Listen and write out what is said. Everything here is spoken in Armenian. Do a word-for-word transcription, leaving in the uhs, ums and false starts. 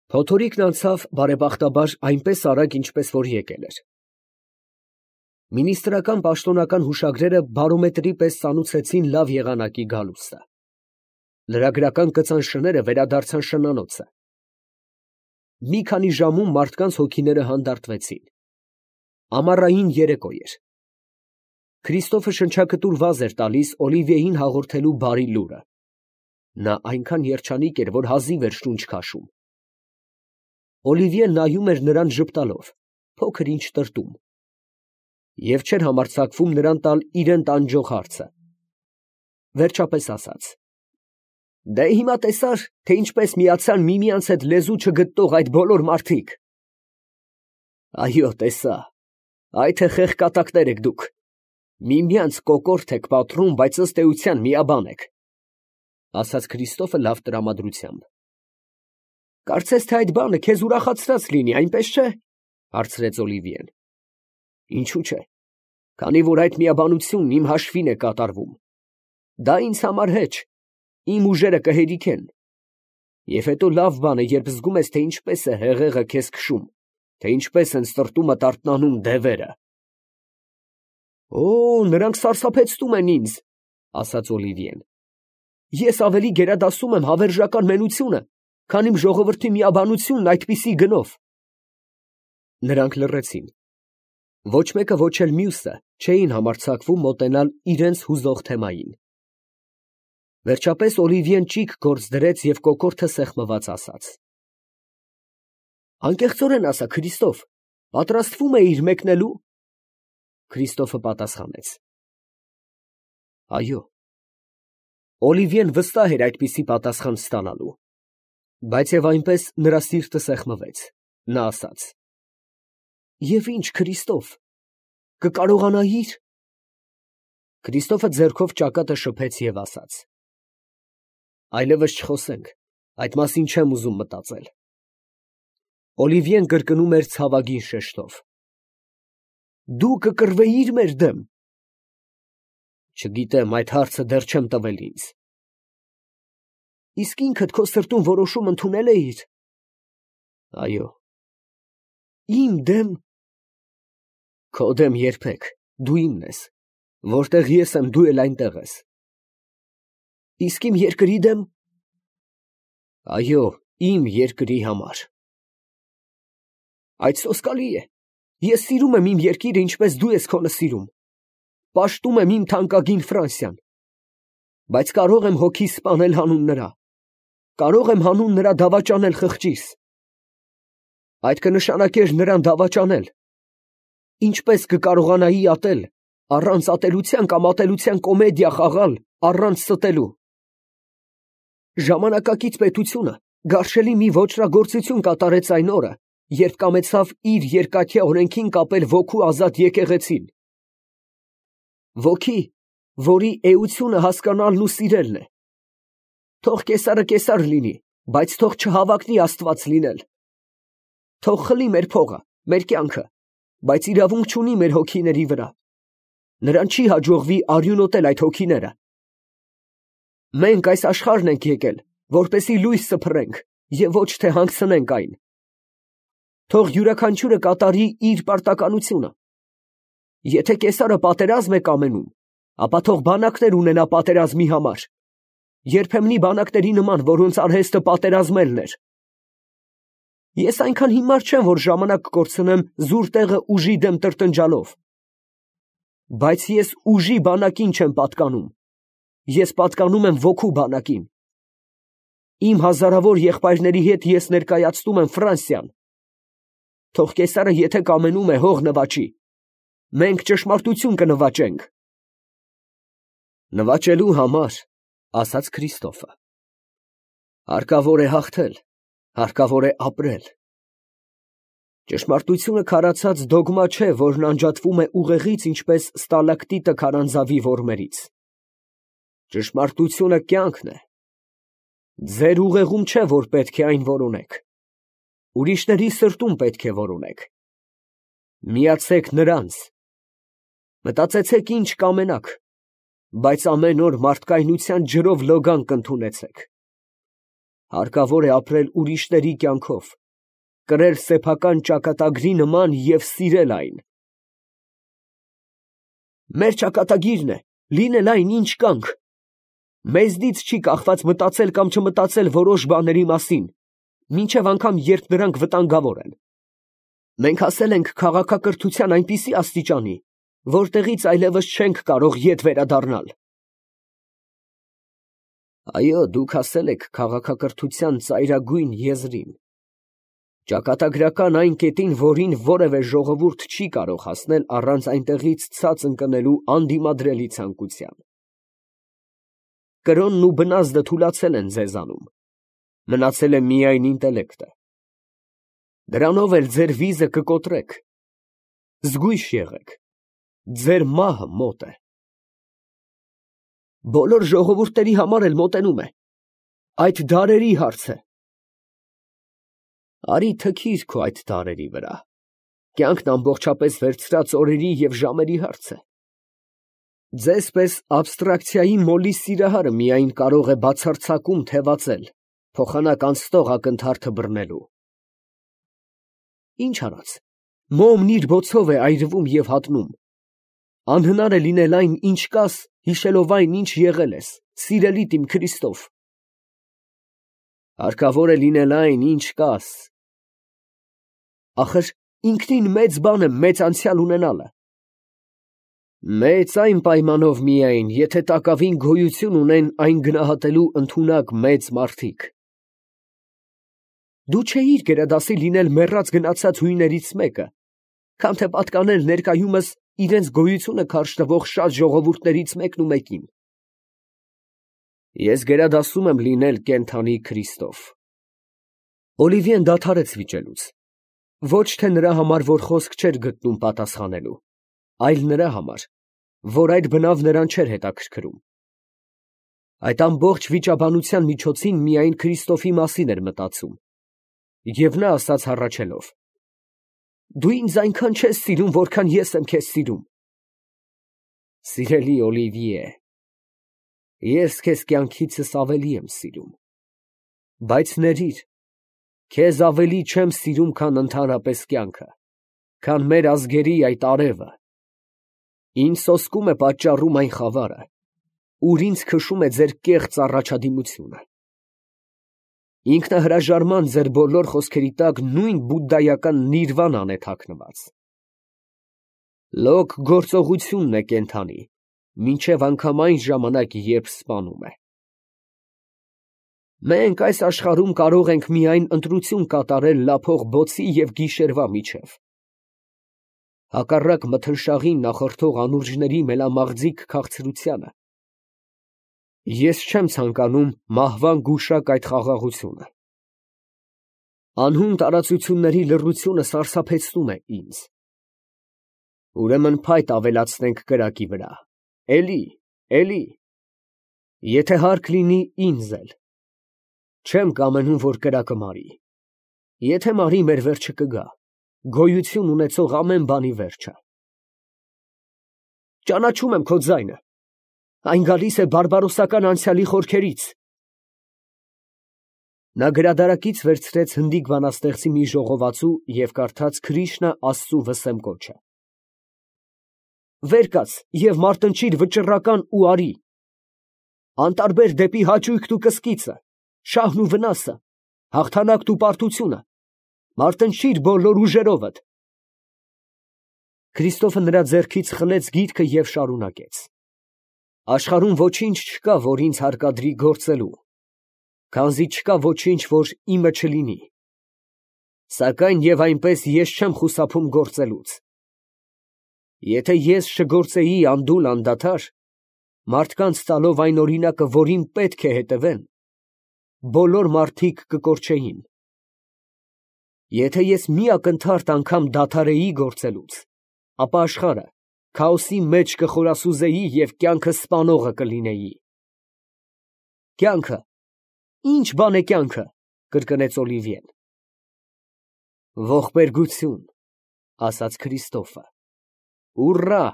Փոթորիկն անցավ բարեբախտաբար այնպես արագ, ինչպես որ եկել էր. Մինիստրական պաշտոնական հուշագրերը բարոմետրի պես ծանուցեցին լավ եղանակի գալուստը. լրագրական կծան շները վերադարձան շնանոցը. մի քանի ժամում մարդկանց հոգիները հանդարտվեցին. ամառային երեկո էր. Քրիստոֆը շնչակտուր վազ էր տալիս Օլիվիեին հաղորդելու բարի լուրը. նա այնքան երջանիկ էր, որ հազիվ էր շունչ քաշում. Օլիվիեն նայում էր նրան ժպտալով, փոքր ինչ տրտում, և չէր համարձակվում նրան տալ իրան տանջող հարցը. վերջապես ասաց. «Դե հիմա տեսա՞ր, թե ինչպես միացան միմյանց հետ լեզու չգտնող այդ բոլոր մարդիկ»։ «Այո, տեսա, այ թե խեղկատակներ եք դուք, միմյանց կոկորդ եք պատռում, բայց ըստ էության միաբան եք», ֊ ասաց Քրիստոֆը լավ տրամադրությամբ։ «Կարծես թե այդ բանը քեզ ուրախացրած լինի, այնպես չէ՞, ֊ հարցրեց Օլիվիեն։ ֊ Ինչու՞ չէ, քանի որ այդ միաբանությունն իմ հաշվին է կատարվում, դա ինձ համար հեչ, իմ ուժերը կհերիքեն, և հետո լավ բան է, երբ զգում ես, թե ինչպես է հեղեղը քեզ քշում, թե ինչպես են սրտումդ արթնանում դևերը»։ «Օ, նրանք սարսափեցնում են ինձ, ֊ ասաց Օլիվիեն. ֊ ես ավելի գերադասում եմ հավերժական մենությունը, քան իմ ժողովրդի միաբանությունն այդպիսի գնով»։ Նրանք լռեցին. ոչ մեկը, ոչ էլ մյուսը չէին համարձակվում մոտենալ իրենց հուզող թեմային։ Վերջապես Օլիվիեն ճիգ գործ դրեց և կոկորդը սեղմված ասաց. «Անկեղծորեն ասա, Քրիստոֆ, պատրաստվում էիր մեկնելու»։ Քրիստոֆը պատասխանեց. «Այո»։ Օլիվիեն վստահ էր այդպիսի պատասխան ստանալու, բայց և այնպես նրա սիրտը սեղմվեց, նա ասաց. «Եվ ի՞նչ, Քրիստոֆ, կկարողանայի՞ր»։ Քրիստոֆը ձեռքով ճակատը շփեց և ասաց. «Այլևս չխոսենք, այդ մասին չեմ ուզում մտածել»։ Օլիվիեն կրկնում էր ցավագին շեշտով. «Դու կկռվեիր մեր դեմ»։ «Չգիտեմ, այդ հարցը դեռ չեմ տվել ինձ»։ «Իսկ ինքդ քո սրտում որոշում ընդունե՞լ էիր»։ «Այո»։ «Իմ դեմ»։ «Քո դեմ երբեք, դու իմն ես, որտեղ ես եմ, դու էլ այնտեղ ես»։ «Իսկ իմ երկրի դեմ»։ «Այո, իմ երկրի համար»։ «Այդ սոսկալի է, ես սիրում եմ իմ երկիրը, ինչպես դու ես քոնը սիրում, պաշտում եմ իմ թանկագին Ֆրանսիան, բայց կարող եմ հոգիս սպանել հանուն նրա, կարող եմ հանուն նրա դավաճանել խղճիս։ Այդ կնշանակեր նրան դավաճանել։ Ինչպես կկարողանայի ատել, առանց ատելության կամ ատելության կոմեդիա խաղալ, առանց ստելու։ Ժամանակակից պետությունը գարշելի մի ոճրագործություն կատարեց այն օրը, երբ կամեցավ իր երկաթյա օրենքին կապել ոգու ազատ եկեղեցին։ Ոգի, որի էությունը հասկանալն ու սիրելն է։ Թող կեսարը կեսար լինի, բայց թող չհավակնի Աստված լինել։ Թող խլի մեր փողը, մեր կյանքը, բայց իրավունք չունի մեր հոգիների վրա։ Նրան չի հաջողվի արյունոտել այդ հոգիները։ Մենք այս աշխարհն ենք եկել, որպեսզի լույս սփռենք և ոչ թե հանգցնենք այն։ Թող յուրաքանչյուրը կատարի իր պարտականությունը։ Եթե կեսարը պատերազմ է կամենում, ապա թող բանակներ ունենա պատերազմի համար, երբեմնի բանակների նման, որոնց արհեստը պատերազմելն էր։ Ես այնքան հիմար չեմ, որ ժամանակ կկորցնեմ զուր տեղը ուժի դեմ տրտնջալով։ Բայց ես ուժի բանակին չեմ պատկանում, ես պատկանում եմ ոգու բանակին։ Իմ հազարավոր եղբայրների հետ ես ներկայացնում եմ Ֆրանսիան։ Թող կեսարը եթե կամենում է, հող նվաճի, մենք ճշմարտություն կնվաճենք։ Նվաճելու համար, ասաց Քրիստոֆը, հարկավոր է հաղթել, հարկավոր է ապրել։ Ճշմարտությունը քարացած դոգմա չէ, որն անջատվում է ուղեղից, ինչպես ստալակտիտը քարանձավի որմերից։ Ճշմարտությունը կյանքն է։ Ձեր ուղեղում չէ, որ պետք է այն որոնեք, ուրիշների սրտում պետք է որոնեք։ Միացեք նրանց, մտածեցեք ինչ կամենաք, բայց ամեն օր մարդկայնության ջրով լոգան կընդունեցեք։ Հարկավոր է ապրել ուրիշների կյանքով, կրել սեփական ճակատագրի նման և սիրել այն։ Մեր ճակատագիրն է լինել այն, ինչ կանք։ Մեզնից չի կախված մտածել կամ չմտածել որոշ բաների մասին, մինչև անգամ երբ դրանք վտանգավոր են։ Մենք հասել ենք քաղաքակրթության այնպիսի աստիճանի, որտեղից այլևս չենք կարող ետ վերադառնալ։ Այո, դուք հասել եք քաղաքակրթության ծայրագույն եզրին, ճակատագրական այն կետին, որին որևէ ժողովուրդ չի կարող հասնել առանց այնտեղից ցած ընկնելու անդիմադրելի ցանկության։ Կրոնն ու բնազդը թուլացել են ձեզանում, մնացել է միայն ինտելեկտը։ Դրանով էլ ձեր վիզը կկոտրեք, զգույշ եղեք, ձեր մահը մոտ է։ Բոլոր ժողովուրդների համար էլ մոտենում է, այդ դարերի հարց է։ Արի թքիր քո այդ դարերի վրա, կյանքն ամբողջապես վերցրած օրերի և ժամերի հարց է։ Ձեզ պես աբստրակցիայի մոլի սիրահարը միայն կարող է բացարձակում թևածել, փոխանակ անցնող ակնթարթը բռնելու։ Ինչ արած, մոմն իր բոցով է այրվում և հատնում, անհնար է լինել այն, ինչ կաս, հիշելով այն, ինչ եղել ես, սիրելիդ իմ Քրիստով։ Հարկավոր է լինել այն, ինչ կաս։ Ախր ինքնին մեծ բան է մեծ անցյալ ունենալը։ Մեծ այն պայմանով միայն, եթե տակավին գոյություն ունեն այն գնահատելու ընդունակ մեծ մարդիկ։ Դու չէիր գերադասի լինել մեռած գնացած հույներից մեկը, քան թե պատկանել ներկայումս իրենց գոյությունը քարշ տվող շատ ժողովուրդներից մեկն ու մեկին։ Ես գերադասում եմ լինել կենդանի Քրիստով։ Օլիվիեն դադարեց վիճելուց, ոչ թե նրա համար, որ խոսք չէր գտնում պատասխանելու, այլ նրա համար, որ այդ բնավ նրան չէր հետաքրքրում։ Այդ ամբողջ վիճաբանության միջոցին միայն Քրիստոֆի մասին էր մտածում, և նա ասաց հառաչելով. «Դու ինձ այնքան չես սիրում, որքան ես եմ քեզ սիրում»։ Սիրելի Օլիվիե, ես քեզ կյանքիցս ավելի եմ սիրում, բայց ներիր, քեզ ավելի չեմ սիրում, քան ընդհանրապես կյանքը, քան մեր ազգերի այդ արևը։ Ինձ սոսկում է պատճառում այն խավարը, ուր ինձ քշում է ձեր կեղծ առաջադիմությունը։ Ինքնահրաժարման ձեր բոլոր խոսքերի տակ նույն բուդդայական նիրվանան է թաքնված։ Լոկ գործողությունն է կենդանի, մինչև անգամ այն ժամանակ, երբ սպանում է։ Մենք այս աշխարհում կարող ենք միայն ընտրություն կատարել լափող բոցի և գիշերվա միջև։ Հակառակ մթնշաղին նախորդող անուրջների մելամաղձիկ քաղցրությանը, ես չեմ ցանկանում մահվան գուշակ այդ խաղաղությունը։ Անհուն տարածությունների լռությունը սարսափեցնում է ինձ։ Ուրեմն փայտ ավելացնենք կրակի վրա, էլի, էլի, եթե հարկ լինի ինձ էլ, չեմ կամենում, որ կրակը մարի, եթե մարի, մեր վերջը կգա, գոյություն ունեցող ամեն բանի վերջը։ Ճանաչում եմ քո ձայնը, այն գալիս է բարբարոսական անցյալի խորքերից։ Նա գրադարակից վերցրեց հնդիկ բանաստեղծի մի ժողովածու և կարդաց Քրիշնա աստծու վսեմ կոչը։ Վեր կաց և մարտնչիր վճռական ու արի, անտարբեր դեպի հաճույքն ու կսկիծը, շահն ու վնասը, հաղթանակն ու պարտությունը, մարտնչիր բոլոր ուժերովդ։ Քրիստոֆը նրա ձեռքից խլեց գիրքը և շարունակեց. Աշխարհում ոչինչ չկա, որ ինձ հարկադրի գործելու, քանզի չկա ոչինչ, որ իմը չլինի, սակայն և այնպես ես չեմ խուսափում գործելուց։ Եթե ես չգործեի անդուլ անդադար, մարդկանց տալով այն օրինակը, որին պետք է հետևեն, բոլոր մարդիկ կկորչեին։ Եթե ես մի ակնթարթ անգամ դադարեի գործելուց, ապա աշխարհը քաոսի մեջ կխորասուզեի և կյանքը սպանողը կլինեի։ Կյանքը, ի՞նչ բան է կյանքը, կրկնեց Օլիվիեն։ Ողբերգություն, ասաց Քրիստոֆը, ուռա,